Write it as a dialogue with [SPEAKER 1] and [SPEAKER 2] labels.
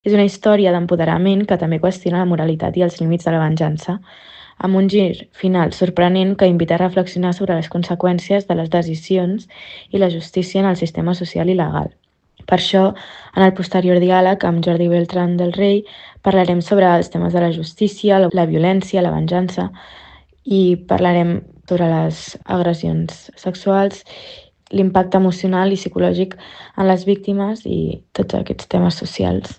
[SPEAKER 1] És una història d'empoderament que també qüestiona la moralitat i els límits de la venjança, amb un gir final sorprenent que invita a reflexionar sobre les conseqüències de les decisions i la justícia en el sistema social i legal. Per això, en el posterior diàleg amb Jordi Beltrán del Rey, parlarem sobre els temes de la justícia, la violència, la venjança, i parlarem sobre les agressions sexuals, l'impacte emocional i psicològic en les víctimes i tots aquests temes socials.